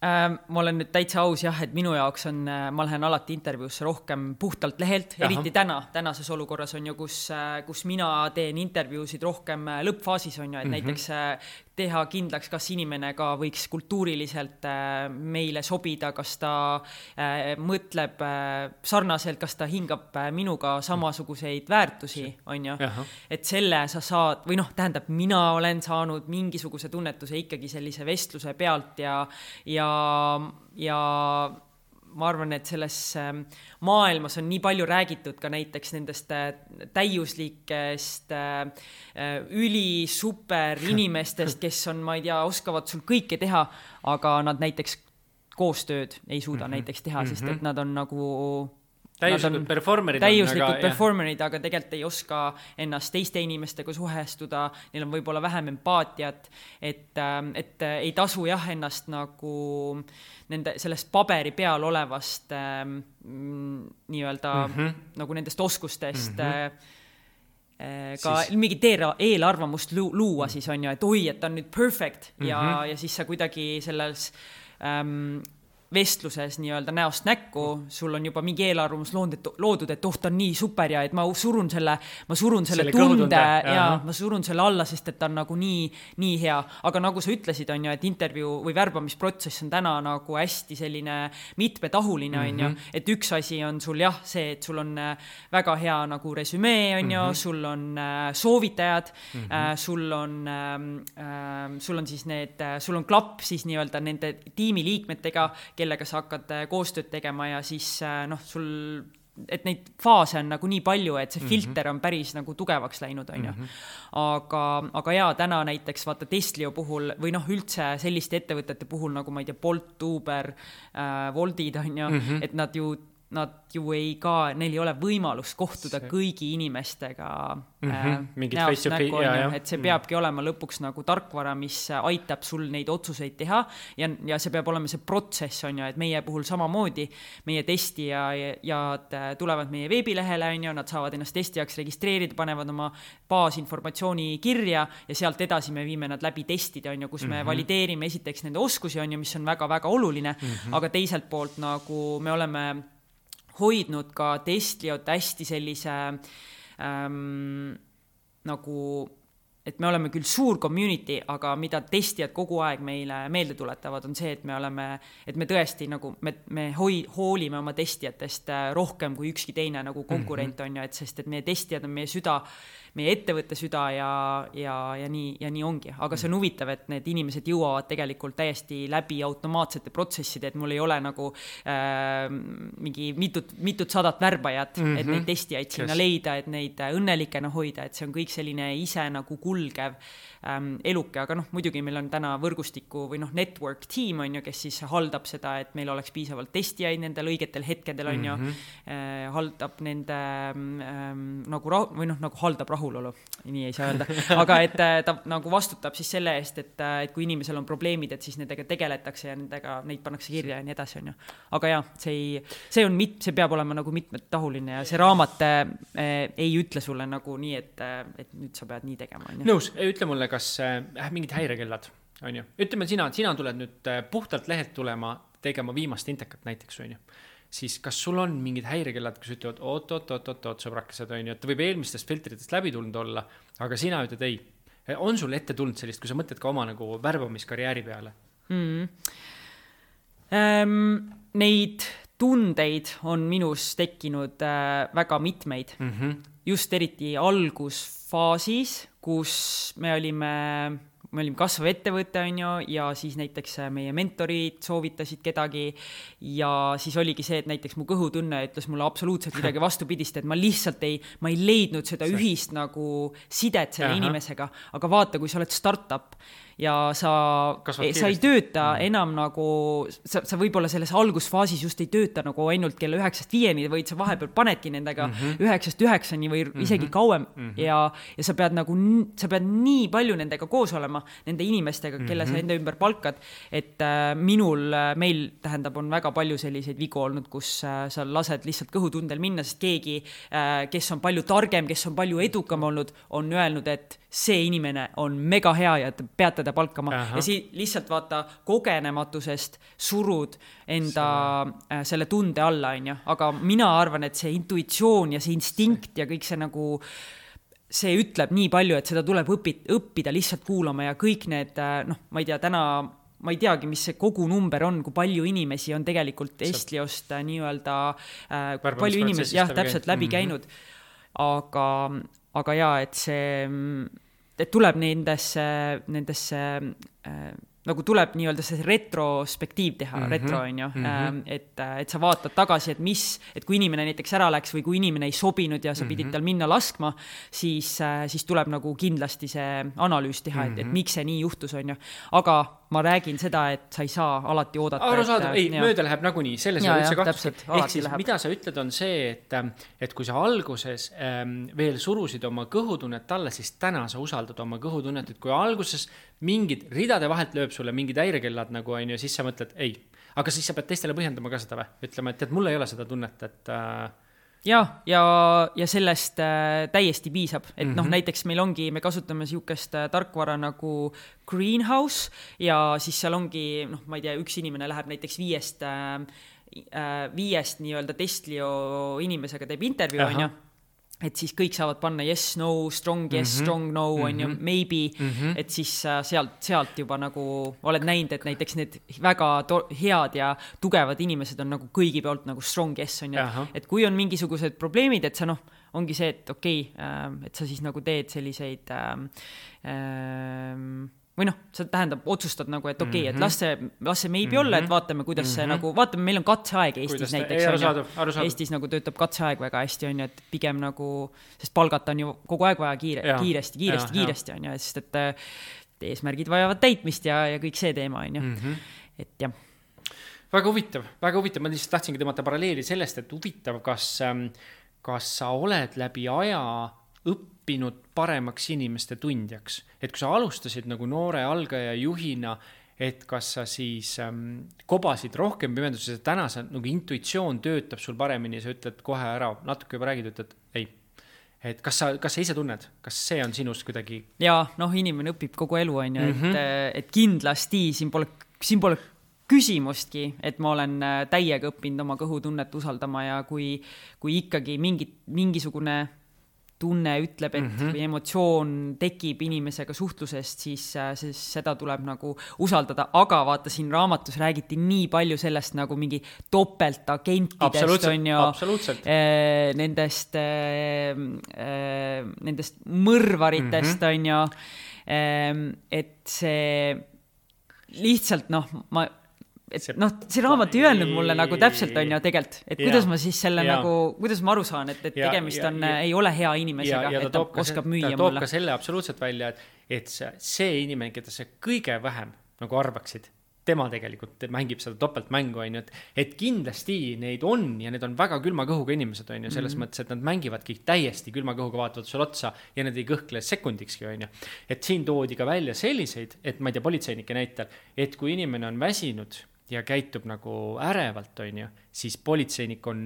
Ähm, ma olen nüüd täitsa aus jah, et minu jaoks on, ma lähen alati intervjuusse rohkem puhtalt lehelt, Jaha. eriti täna, tänases olukorras on ju, kus, kus mina teen intervjuusid rohkem lõppfaasis on ju, et mm-hmm. näiteks teha kindlaks, kas inimene ka võiks kultuuriliselt meile sobida, kas ta mõtleb sarnaselt, kas ta hingab minuga samasuguseid väärtusi, on ju. Et selle sa saad, või noh, tähendab, mina olen saanud mingisuguse tunnetuse ikkagi sellise vestluse pealt ja, ja, ja ma arvan, et selles maailmas on nii palju räägitud ka näiteks nendest täiuslikest üli super inimestest, kes on, ma ei tea, oskavad sul kõike teha, aga nad näiteks koostööd ei suuda mm-hmm. näiteks teha, sest et nad on nagu täiuslikud performerid, täiuslikud aga, performerid, aga tegelikult ei oska ennast teiste inimestega suhestuda, neil on võib-olla vähem empaatiat, et, et ei tasu jah ennast nagu nende, sellest paberi peal olevast ähm, nii-öelda mm-hmm. nagu nendest oskustest mm-hmm. ka siis... mingit eelarvamust luua siis on ju, et oi, et ta on nüüd perfect ja, mm-hmm. ja siis sa kuidagi selles ähm, vestluses nii-öelda näost näkku, sul on juba mingi eelarvamus loodud, loodud, et oh, ta on nii super ja et ma surun selle, ma surun selle, selle tunde ja, ja ma surun selle alla, sest et ta on nagu nii, nii hea. Aga nagu sa ütlesid, on ju, et intervjuu või värbamisprotsess on täna nagu hästi selline mitmetahuline, on ju, mm-hmm. et üks asi on sul jah, see, et sul on väga hea nagu resümee, on ju, mm-hmm. sul on soovitajad, mm-hmm. sul on, äh, sul on siis need, sul on klapp siis nii-öelda nende tiimiliikmetega, kellega sa hakkad koostööd tegema ja siis noh, sul, et neid faase on nagu nii palju, et see mm-hmm. filter on päris nagu tugevaks läinud, on ju. Mm-hmm. Aga, aga jaa, täna näiteks vaata Testlio puhul või noh, üldse selliste ettevõtete puhul nagu ma ei tea, Bolt, Uber, äh, Woltid, on ju, mm-hmm. et nad ju nad ju ei ka, neil ei ole võimalust kohtuda see. kõigi inimestega mm-hmm. äh, näost näkku, et see peabki mm. olema lõpuks nagu tarkvara, mis aitab sul neid otsuseid teha ja, ja see peab olema see protsess, on ju, et meie puhul samamoodi, meie testijad ja tulevad meie veebilehele, on ju, nad saavad ennast testijaks registreerida, panevad oma baasinformatsiooni kirja ja sealt edasi me viime nad läbi testida, on ju, kus mm-hmm. me valideerime esiteks nende oskusi, on ju, mis on väga-väga oluline, mm-hmm. aga teiselt poolt nagu me oleme hoidnud ka Testliot hästi sellise ähm, nagu, et me oleme küll suur community, aga mida testijad kogu aeg meile meelde tuletavad, on see, et me oleme, et me tõesti nagu, me, me hoi, hoolime oma testijatest rohkem kui ükski teine nagu konkurent mm-hmm. on ju, et sest, et meie testijad on meie süda, meie ettevõtte süda ja, ja, ja, nii, ja nii ongi. Aga see on huvitav, et need inimesed jõuavad tegelikult täiesti läbi automaatsete protsesside, et mul ei ole nagu äh, mingi mitut, mitut sadat värbajat, mm-hmm. et neid testijaid sinna yes. leida, et neid õnnelikena hoida, et see on kõik selline ise nagu kulgev ähm, eluke, aga noh, muidugi meil on täna võrgustiku või noh, network team on ju, kes siis haldab seda, et meil oleks piisavalt testijaid nendel õigetel hetkedel on ju, mm-hmm. äh, haldab nende ähm, nagu, rahu, või noh, nagu haldab rahu rahulolu, nii ei saa öelda, aga et ta nagu vastutab siis selle eest, et, et kui inimesel on probleemid, et siis nendega tegeletakse ja nendega, neid pannakse kirja ja nii edasi on ju. Aga jah, see, ei, see, on mit, see peab olema nagu mitmetahuline ja see raamat äh, ei ütle sulle nagu nii, et, et nüüd sa pead nii tegema. On ju. Nõus, ütle mulle, kas äh, mingid häirekellad on ju. Ütleme, sina, sina tuled nüüd puhtalt lehelt tulema tegema viimast intekat näiteks on ju. Siis kas sul on mingid häirekellad, kus ütlevad oot, oot, oot, oot, oot, sõbrakesed on ju, et võib eelmistest filtritest läbi tulnud olla, aga sina ütled ei. On sul ette tulnud sellist, kui sa mõtled ka oma nagu värbamiskarjääri peale? Mm. Ähm, neid tundeid on minus tekkinud äh, väga mitmeid. Mm-hmm. Just eriti algusfaasis, kus me olime me olime kasvav ettevõte, on ju, ja siis näiteks meie mentorid soovitasid kedagi ja siis oligi see, et näiteks mu kõhutunne ütles mulle absoluutselt midagi vastupidist, et ma lihtsalt ei, ma ei leidnud seda ühist nagu sidet selle Aha. inimesega, aga vaata, kui sa oled startup ja sa, sa ei tööta mm. enam nagu, sa, sa võib-olla selles algusfaasis just ei tööta nagu ainult kella üheksast viieni, vaid sa vahepeal panedki nendega mm-hmm. üheksast üheksani või mm-hmm. isegi kauem mm-hmm. ja, ja sa pead nagu, sa pead nii palju nendega koos olema, nende inimestega, kelle mm-hmm. sa enda ümber palkad, et äh, minul, meil tähendab, on väga palju selliseid vigu olnud, kus äh, sa lased lihtsalt kõhutundel minna, sest keegi, äh, kes on palju targem, kes on palju edukam olnud, on öelnud, et see inimene on mega hea ja te peate ta palkama Aha. ja siis lihtsalt vaata kogenematusest surud enda äh, selle tunde alla, on ju, aga mina arvan, et see intuitsioon ja see instinkt ja kõik see nagu see ütleb nii palju, et seda tuleb õpid, õppida lihtsalt kuulama ja kõik need, noh, ma ei tea, täna ma ei teagi, mis see kogu number on, kui palju inimesi on tegelikult Estliost nii-öelda äh, palju inimesi, jah, täpselt läbi käinud, aga aga jaa, et see, et tuleb nendesse, nendesse äh, nagu tuleb nii-öelda see retrospektiiv teha, mm-hmm. retro on ju, mm-hmm. et, et sa vaatad tagasi, et mis, et kui inimene näiteks ära läks või kui inimene ei sobinud ja sa mm-hmm. pidid tal minna laskma, siis, siis tuleb nagu kindlasti see analüüs teha, et, et miks see nii juhtus, on ju. Aga ma räägin seda, et sa ei saa alati oodata. Arusaadav, ei, ja. mööda läheb nagunii, selles ja, ei ole üldse kahtust. Ehk siis, läheb. Mida sa ütled, on see, et, et kui sa alguses ähm, veel surusid oma kõhutunnet alla, siis täna sa usaldad oma kõhutunnet, et kui alguses mingid ridade vahelt lööb sulle mingid häirekellad nagu on ju, siis sa mõtled, ei, aga siis sa pead teistele põhjendama ka seda või? Ütlema, et, et mul ei ole seda tunnet, et äh, ja, ja, ja sellest äh, täiesti piisab, et mm-hmm. noh, näiteks meil ongi, me kasutame siukest äh, tarkvara nagu Greenhouse ja siis seal ongi, noh, ma ei tea, üks inimene läheb näiteks viiest, äh, viiest nii-öelda Testlio inimesega teeb intervjuu, on ju, et siis kõik saavad panna yes, no, strong yes, mm-hmm. strong no, on mm-hmm. ju, maybe, mm-hmm. et siis äh, sealt, sealt juba nagu oled näinud, et näiteks need väga to- head ja tugevad inimesed on nagu kõigi pealt nagu strong yes, on ju, et kui on mingisugused probleemid, et sa noh, ongi see, et okei, okay, äh, et sa siis nagu teed selliseid äh, äh, või noh, see tähendab, otsustad nagu, et okei, okay, et las see, las see maybe mm-hmm. olla, et vaatame, kuidas mm-hmm. see nagu, vaatame, meil on katseaeg Eestis ta, näiteks. Arusaadu, arusaadu. Eestis nagu töötab katseaeg väga hästi, on ju, et pigem nagu, sest palgata on ju kogu aeg vaja kiire, ja, kiiresti, kiiresti, ja, kiiresti, on ju, sest et eesmärgid vajavad täitmist ja, ja kõik see teema, on ju. Mm-hmm. Et jah. Väga huvitav, väga huvitav. Ma lihtsalt tahtsingi tõmmata paralleeli sellest, et huvitav, kas, kas sa oled läbi aja õppinud paremaks inimeste tundjaks. Et kui sa alustasid nagu noore algaja juhina, et kas sa siis ähm, kobasid rohkem pimenduses, et täna sa nagu intuitsioon töötab sul paremini, sa ütled kohe ära, natuke juba räägid, ütled ei. Et kas sa, kas sa ise tunned, kas see on sinust kuidagi? Jaa, noh, inimene õpib kogu elu, on ju, mm-hmm. et, et kindlasti siin pole, siin pole küsimustki, et ma olen täiega õppinud oma kõhutunnet usaldama ja kui, kui ikkagi mingi, mingisugune tunne ütleb, et mm-hmm. või emotsioon tekib inimesega suhtlusest, siis, siis seda tuleb nagu usaldada, aga vaata siin raamatus räägiti nii palju sellest nagu mingi topeltagentidest on ju, äh, nendest äh, äh, nendest mõrvaritest mm-hmm. on ju, äh, et see lihtsalt noh, ma et see, noh, see raamat ei öelnud mulle nagu täpselt on ju tegelikult, et kuidas ja, ma siis selle ja, nagu, kuidas ma aru saan, et, et ja, tegemist on, ja, ei ole hea inimesega, ja, ja et ta, ta oskab müüa mulle. Ta toob ka selle absoluutselt välja, et, et see, see inimene, keda sa kõige vähem nagu arvaksid, tema tegelikult mängib seda topeltmängu, on ju, et, et kindlasti neid on ja need on väga külma kõhuga inimesed, on ju, selles mm-hmm. mõttes, et nad mängivadki täiesti külma kõhuga, vaatavad sul otsa ja nad ei kõhkle sekundikski, on ju. Et siin toodi ka välja selliseid, et ma ei tea, politseinike näitel, et kui inimene on väsinud ja käitub nagu ärevalt, on ju, siis politseinik on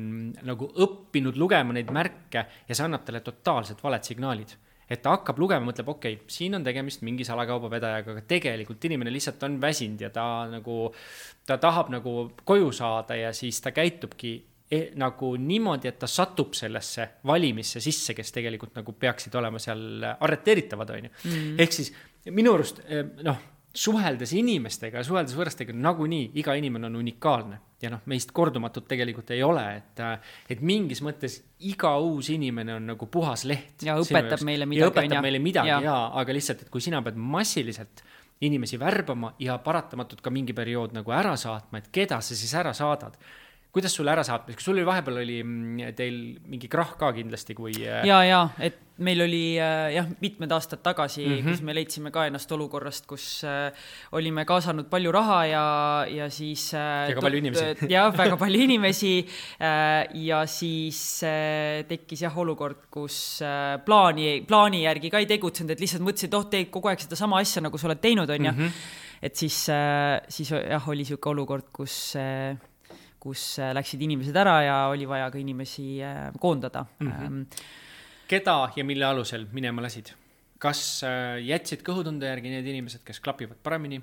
nagu õppinud lugema neid märke ja see annab talle totaalselt valed signaalid. Et ta hakkab lugema, mõtleb, okei, okay, siin on tegemist mingi salakaubavedajaga, aga tegelikult inimene lihtsalt on väsinud ja ta nagu, ta tahab nagu koju saada ja siis ta käitubki e, nagu niimoodi, et ta satub sellesse valimisse sisse, kes tegelikult nagu peaksid olema seal arreteeritavad, on ju. Mm. Ehk siis minu arust, noh, suheldes inimestega ja suheldes võõrastega nagunii iga inimene on unikaalne ja noh, meist kordumatut tegelikult ei ole, et, et mingis mõttes iga uus inimene on nagu puhas leht. Ja õpetab meile midagi. Ja õpetab meile midagi, ja. Ja, aga lihtsalt, et kui sina pead massiliselt inimesi värbama ja paratamatult ka mingi periood nagu ära saatma, et keda sa siis ära saadad. Kuidas sul ära saatma? Kas sul oli vahepeal oli teil mingi krahh ka kindlasti, kui... Ja, ja, et meil oli jah, mitmed aastad tagasi, mm-hmm. kus me leidsime ka ennast olukorrast, kus äh, olime kaasanud palju raha ja, ja siis... Äh, väga palju inimesi. Ja, väga palju inimesi äh, ja siis äh, tekkis jah olukord, kus äh, plaani, plaani järgi ka ei tegutsenud, et lihtsalt mõtlesid, et oh, teed kogu aeg seda sama asja, nagu sa oled teinud, on ja. Mm-hmm. Et siis, äh, siis jah, oli siuke olukord, kus... Äh, kus läksid inimesed ära ja oli vaja ka inimesi koondada. Mm-hmm. Keda ja mille alusel minema lasid? Kas jätsid kõhutunde järgi need inimesed, kes klapivad paremini?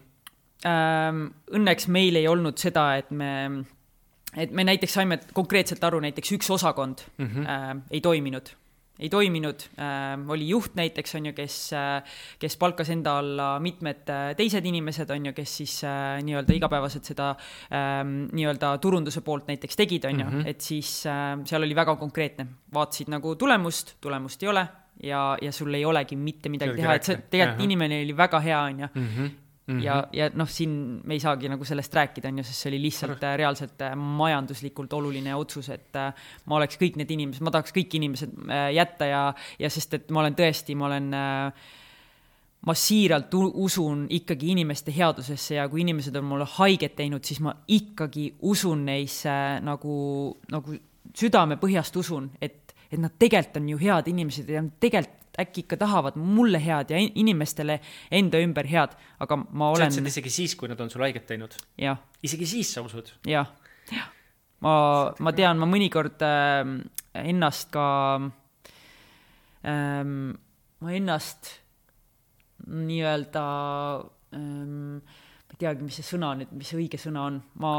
Õnneks meil ei olnud seda, et me, et me näiteks saime konkreetselt aru, näiteks üks osakond mm-hmm. ei toiminud. ei toiminud, äh, oli juht näiteks, on ju, kes, äh, kes palkas enda alla mitmed äh, teised inimesed, on ju, kes siis äh, nii-öelda igapäevaselt seda äh, nii-öelda turunduse poolt näiteks tegid, on ju, mm-hmm. et siis äh, seal oli väga konkreetne. Vaatasid nagu tulemust, tulemust ei ole ja, ja sul ei olegi mitte midagi Selgi teha, et see tegelikult uh-huh. inimene oli väga hea, on ju. Mm-hmm. Mm-hmm. ja, ja noh, siin me ei saagi nagu sellest rääkida, on ju, sest see oli lihtsalt äh, reaalselt äh, majanduslikult oluline otsus, et äh, ma oleks kõik need inimesed, ma tahaks kõik inimesed äh, jätta ja, ja sest, et ma olen tõesti, ma olen äh, ma siiralt usun ikkagi inimeste headusesse ja kui inimesed on mulle haiget teinud, siis ma ikkagi usun neisse äh, nagu, nagu südame põhjast usun, et, et nad tegelikult on ju head inimesed ja tegelikult äkki ikka tahavad mulle head ja inimestele enda ümber head, aga ma olen... Sa ütlesid isegi siis, kui nad on sul haiget teinud? Jah. Isegi siis sa usud? Jah. Ja. Ma, ma tean, ma mõnikord äh, ennast ka... Äh, ma ennast nii-öelda... Äh, ma ei teagi, mis see sõna nüüd, mis see õige sõna on. Ma,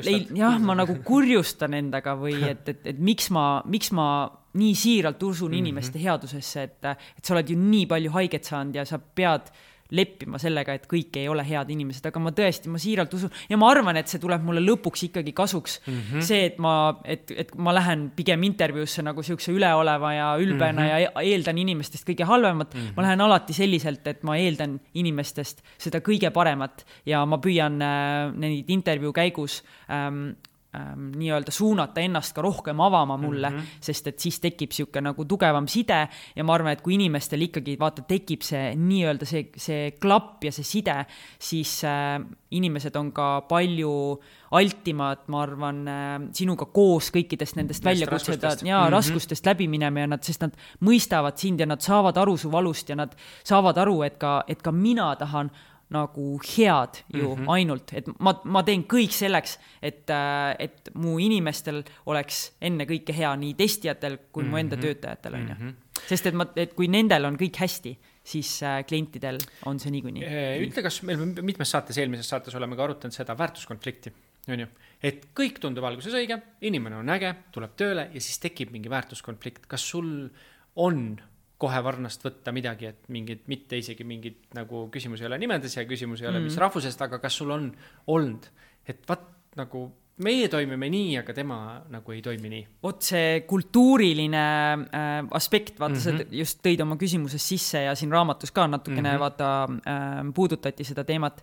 leil, jah, ma nagu kurjustan endaga või et, et, et miks ma, miks ma nii siiralt usun mm-hmm. inimeste headusesse, et, et sa oled ju nii palju haiget saanud ja sa pead leppima sellega, et kõik ei ole head inimesed, aga ma tõesti, ma siiralt usun ja ma arvan, et see tuleb mulle lõpuks ikkagi kasuks. Mm-hmm. See, et ma, et, et ma lähen pigem intervjuusse nagu siukse üleoleva ja ülbena mm-hmm. ja eeldan inimestest kõige halvemat. Mm-hmm. Ma lähen alati selliselt, et ma eeldan inimestest seda kõige paremat ja ma püüan äh, neid intervjuu käigus ähm, ähm, nii-öelda suunata ennast ka rohkem avama mulle, mm-hmm. sest et siis tekib siuke nagu tugevam side ja ma arvan, et kui inimestel ikkagi vaata tekib see nii-öelda see, see klapp ja see side, siis äh, inimesed on ka palju altimad, ma arvan, äh, sinuga koos kõikidest nendest väljakutseda ja mm-hmm. raskustest läbi minema ja nad, sest nad mõistavad sind ja nad saavad aru su valust ja nad saavad aru, et ka, et ka mina tahan nagu head ju mm-hmm. ainult, et ma, ma teen kõik selleks, et, et mu inimestel oleks enne kõike hea nii testijatel kui mm-hmm. mu enda töötajatel on ju. Mm-hmm. Sest et, ma, et kui nendel on kõik hästi, siis äh, klientidel on see niikuinii. Ütle, kas meil mitmes saates, eelmises saates oleme ka arutanud seda väärtuskonflikti, on ju? Et kõik tundub alguses õige, inimene on äge, tuleb tööle ja siis tekib mingi väärtuskonflikt. Kas sul on kohe varnast võtta midagi, et mingid, mitte isegi mingid nagu küsimus ei ole nimedes ja küsimus ei ole, mis mm. rahvusest, aga kas sul on olnud, et vaat nagu meie toimime nii, aga tema nagu ei toimi nii. Ot see kultuuriline äh, aspekt, vaata mm-hmm. sa just tõid oma küsimuses sisse ja siin raamatus ka natukene mm-hmm. vaata äh, puudutati seda teemat.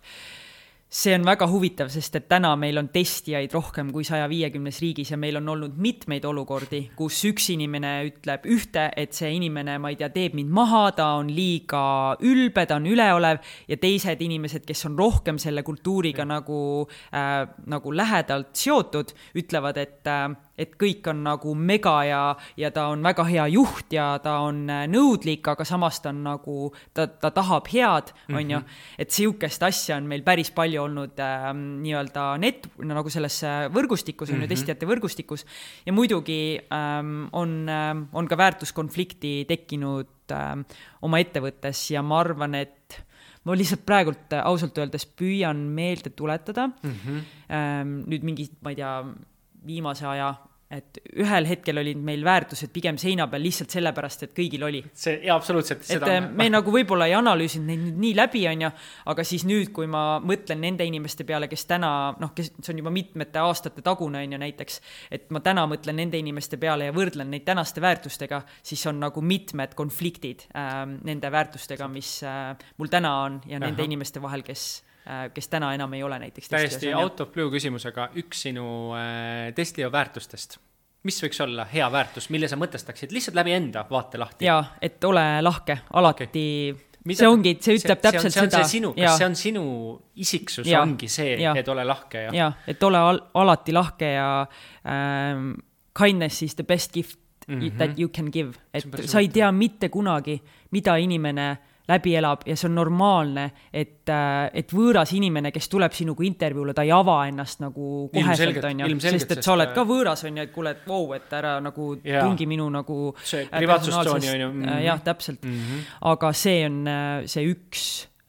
See on väga huvitav, sest et täna meil on testijaid rohkem kui saja viiekümnes riigis ja meil on olnud mitmeid olukordi, kus üks inimene ütleb ühte, et see inimene, ma ei tea, teeb mind maha, ta on liiga ülbe, ta on üleolev ja teised inimesed, kes on rohkem selle kultuuriga mm. nagu, äh, nagu lähedalt seotud, ütlevad, et äh, et kõik on nagu mega ja, ja ta on väga hea juht ja ta on nõudlik, aga samas ta on nagu, ta, ta tahab head, on mm-hmm. ju, et siukest asja on meil päris palju olnud äh, nii-öelda net, nagu selles võrgustikus, on mm-hmm. ju testijate võrgustikus ja muidugi ähm, on, äh, on ka väärtuskonflikti tekkinud äh, oma ettevõttes ja ma arvan, et ma lihtsalt praegult ausalt öeldes püüan meelde tuletada mm-hmm. ähm, nüüd mingi, ma ei tea, viimase aja et ühel hetkel olid meil väärtused pigem seina peal lihtsalt sellepärast, et kõigil oli. See, ja absoluutselt. Et seda me nagu võib-olla ei analüüsinud neid nii läbi, on ju, aga siis nüüd, kui ma mõtlen nende inimeste peale, kes täna, noh, kes see on juba mitmete aastate tagune, on ju näiteks, et ma täna mõtlen nende inimeste peale ja võrdlen neid tänaste väärtustega, siis on nagu mitmed konfliktid äh, nende väärtustega, mis äh, mul täna on ja nende Aha. inimeste vahel, kes kes täna enam ei ole näiteks täiesti out of blue küsimusega üks sinu äh, Testlio väärtustest. Mis võiks olla hea väärtus, mille sa mõtestaksid lihtsalt läbi enda vaate lahti? Jaa, et ole lahke, alati okay. Mida, see ongi, see ütleb see, täpselt see on, see on seda. Sinu, kas see on sinu isiksus, ja, ongi see, ja. Et ole lahke? Ja, ja et ole al- alati lahke ja ähm, kindness is the best gift mm-hmm. that you can give. Et sa ei tea mitte kunagi, mida inimene läbi elab ja see on normaalne, et, et võõras inimene, kes tuleb sinuga intervjuule, ta ei ava ennast nagu koheselt, on ju, sest et sa oled ka võõras, on ju, et kuule, et wow, et ära nagu yeah. tungi minu nagu see privaatsustooni, on ju. Mm-hmm. Jah, täpselt. Mm-hmm. Aga see on see üks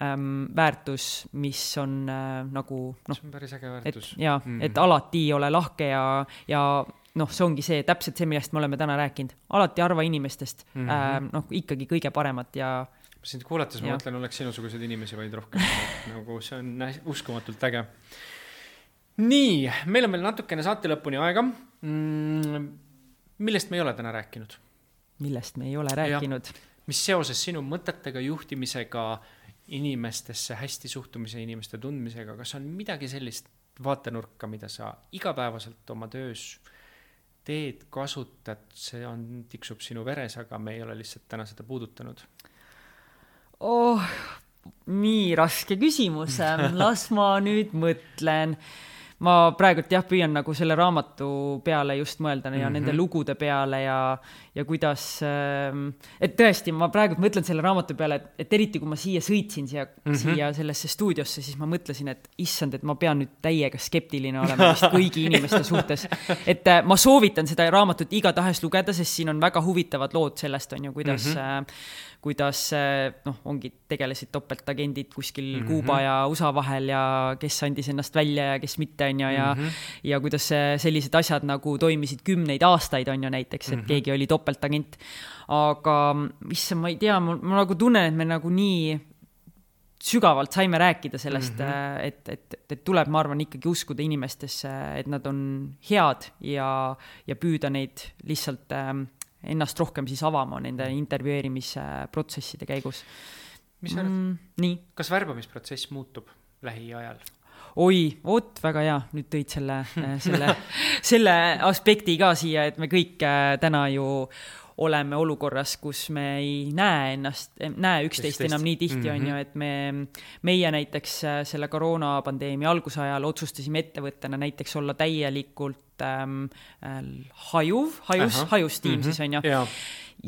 ähm, väärtus, mis on äh, nagu noh, see on päris äge väärtus. Et, ja, mm-hmm. et alati ole lahke ja, ja noh, see ongi see, täpselt see, millest me oleme täna rääkinud. Alati arva inimestest mm-hmm. äh, noh, ikkagi kõige paremat ja sind kuulates ma mõtlen, oleks sinusugused inimesi vaid rohkem. Nagu see on uskumatult äge. Nii, meil on veel natukene saate lõpuni aega. Millest me ei ole täna rääkinud? Millest me ei ole rääkinud? Ja, mis seoses sinu mõtetega, juhtimisega, inimestesse, hästi suhtumise, inimeste tundmisega, kas on midagi sellist vaatenurka, mida sa igapäevaselt oma töös teed, kasutad, see on, tiksub sinu veres, aga me ei ole lihtsalt täna seda puudutanud? Oh, nii raske küsimus. Las ma nüüd mõtlen. Ma praegult jah, püüan nagu selle raamatu peale just mõelda ja mm-hmm. nende lugude peale ja, ja kuidas, et tõesti, ma praegult mõtlen selle raamatu peale, et, et eriti kui ma siia sõitsin siia, mm-hmm. siia sellesse stuudiosse, siis ma mõtlesin, et issand, et ma pean nüüd täiega skeptiline olema vist kõigi inimeste suhtes. Et ma soovitan seda raamatut iga tahes lugeda, sest siin on väga huvitavad lood sellest, on ju, kuidas mm-hmm. kuidas noh, ongi tegelesid topeltagendid kuskil mm-hmm. Kuuba ja U S A vahel ja kes andis ennast välja ja kes mitte on ju ja, mm-hmm. ja kuidas sellised asjad nagu toimisid kümneid aastaid on ju näiteks, et mm-hmm. keegi oli topeltagent. Aga issand, ma ei tea, ma, ma nagu tunnen, et me nagu nii sügavalt saime rääkida sellest, mm-hmm. et, et, et tuleb, ma arvan, ikkagi uskuda inimestesse, et nad on head ja, ja püüda neid lihtsalt ennast rohkem siis avama nende intervjueerimisprotsesside käigus. Mis sa arvad? Mm, nii. Kas värbamisprotsess muutub lähiajal? Oi, oot, väga hea. Nüüd tõid selle, selle, selle aspekti ka siia, et me kõik täna ju oleme olukorras, kus me ei näe ennast, näe üksteist enam nii tihti mm-hmm. on ju, et me, meie näiteks selle koroonapandeemia algusajal otsustasime ettevõttena näiteks olla täielikult ähm, hajuv, hajus, hajus tiim mm-hmm. siis on ju. Ja.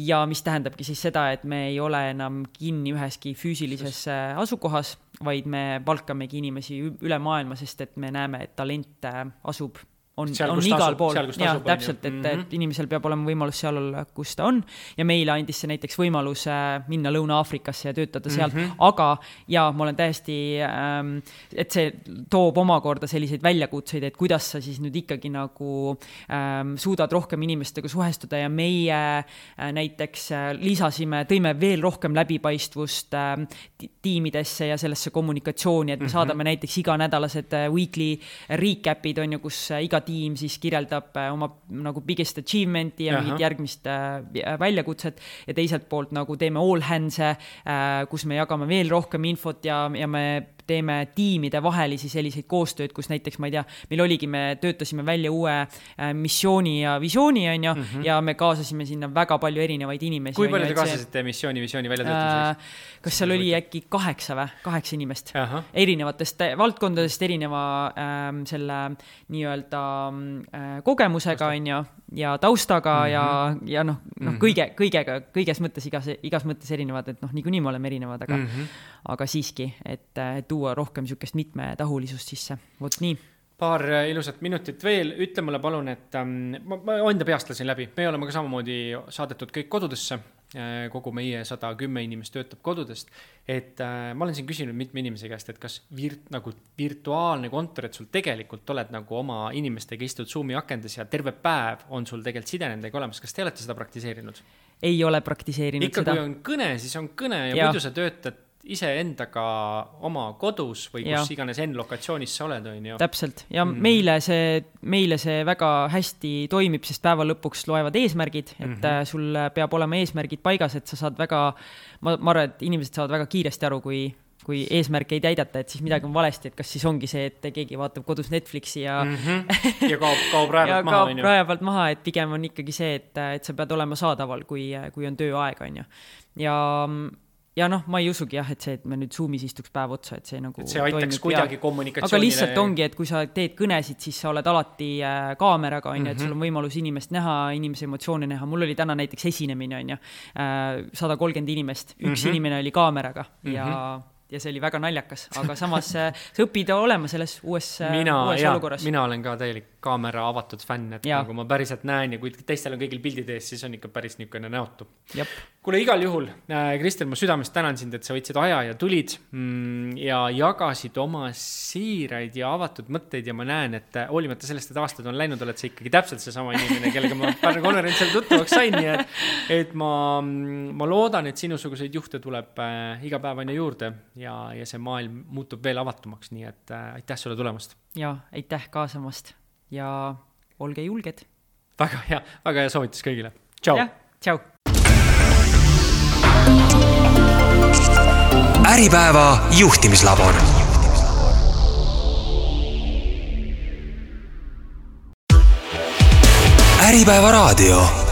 ja mis tähendabki siis seda, et me ei ole enam kinni üheski füüsilises asukohas, vaid me palkamegi inimesi üle maailma, sest et me näeme, et talent asub on, seal, on igal asub, pool. Seal, ja, asub, täpselt, et, mm-hmm. et inimesel peab olema võimalus seal olla, kus ta on. Ja meile andis see näiteks võimalus minna Lõuna-Afrikasse ja töötada sealt. Mm-hmm. Aga, ja ma olen täiesti, ähm, et see toob omakorda selliseid väljakutseid, et kuidas sa siis nüüd ikkagi nagu ähm, suudad rohkem inimestega suhestuda ja meie äh, näiteks äh, lisasime, tõime veel rohkem läbipaistvust äh, tiimidesse ja sellesse kommunikatsiooni, et me mm-hmm. saadame näiteks iganädalased äh, weekly recapid, on ju, kus äh, iga tiim siis kirjeldab oma nagu biggest achievement'i ja mingit järgmist äh, väljakutset ja teiselt poolt nagu teeme all hands'e, äh, kus me jagame veel rohkem infot ja, ja me teeme tiimide vahelisi selliseid koostööd, kus näiteks, ma ei tea, meil oligi, me töötasime välja uue äh, missiooni ja visiooni, on ju, mm-hmm. ja me kaasasime sinna väga palju erinevaid inimesi. Kui palju te kaasasite missiooni, visiooni välja töötamiseks? Äh, kas seal oli äkki kaheksa või? Kaheksa inimest. Aha. Erinevatest valdkondadest, erineva äh, selle nii-öelda äh, kogemusega, on ju, ja taustaga mm-hmm. ja, ja noh, noh mm-hmm. kõige, kõigega, kõiges mõttes, igas, igas mõttes erinevad, et noh, niikuinii me oleme erinevad, aga, mm-hmm. aga siiski, et, et tuua rohkem sükest mitmetahulisust sisse. Vot nii. paar ilusat minutit veel, ütle mulle palun, et ähm, ma, ma enda peast lasin läbi, me oleme ka samamoodi saadetud kõik kodudesse, kogu meie sada kümme inimest töötab kodudest, et äh, ma olen siin küsinud mitme inimese käest, et kas virt, nagu virtuaalne kontor, et sul tegelikult oled nagu oma inimestega istud Zoomi akendes ja terve päev on sul tegelikult side nendega olemas, kas te olete seda praktiseerinud? Ei ole praktiseerinud Ikka, seda. Ikka kui on kõne, siis on kõne ja, ja. muidu sa töötad ise endaga oma kodus või kus ja. iganes N-lokatsioonis sa oled, on ju. Täpselt. Ja mm. meile, see, meile see väga hästi toimib, sest päeva lõpuks loevad eesmärgid, et mm-hmm. sul peab olema eesmärgid paigas, et sa saad väga, ma, ma arvan, et inimesed saavad väga kiiresti aru, kui, kui eesmärke ei täidata, et siis midagi on valesti, et kas siis ongi see, et keegi vaatab kodus Netflixi ja, mm-hmm. ja kaob, kaob rajapalt maha. kaob rajapalt maha, et pigem on ikkagi see, et, et sa pead olema saadaval, kui, kui on tööaeg, on ju. Ja Ja noh, ma ei usugi jah, et see, et me nüüd Zoomis istuks päev otsa, et see nagu et see aitaks toimib, kuidagi ja. kommunikatsioonile. Aga lihtsalt ongi, et kui sa teed kõnesid, siis sa oled alati äh, kaameraga, on ju, et sul on võimalus inimest näha, inimese emotsiooni näha. Mul oli täna näiteks esinemine, on ju, äh, sada kolmkümmend inimest. Üks mm-hmm. inimene oli kaameraga ja mm-hmm. ja see oli väga naljakas, aga samas sa õpid olema selles uues, mina, uues ja, olukorras. Mina olen ka täielik kaamera avatud fänn, et ja. nagu ma päriselt näen ja kui teistel on kõigil pildid ees, siis on ikka päris niisugune näotu. Jep. Kuule, igal juhul, äh, Kristel, ma südamest tänan sind, et sa võtsid aja ja tulid mm, ja jagasid oma siiraid ja avatud mõtteid ja ma näen, et hoolimata sellest, et aastad on läinud, oled sa ikkagi täpselt see sama inimene, kellega ma Pärnu konverentsil tuttavaks sain, nii et, et ma, ma loodan, et sinusuguseid juhte tuleb äh, iga päev aina juurde ja, ja see maailm muutub veel avatumaks, nii et äh, aitäh sulle tulemast. Ja, aitäh kaasamast ja olge julged. Väga hea, väga hea soovitus kõigile. Tšau. Ja, tšau. Äripäeva juhtimislabor. Äripäeva raadio.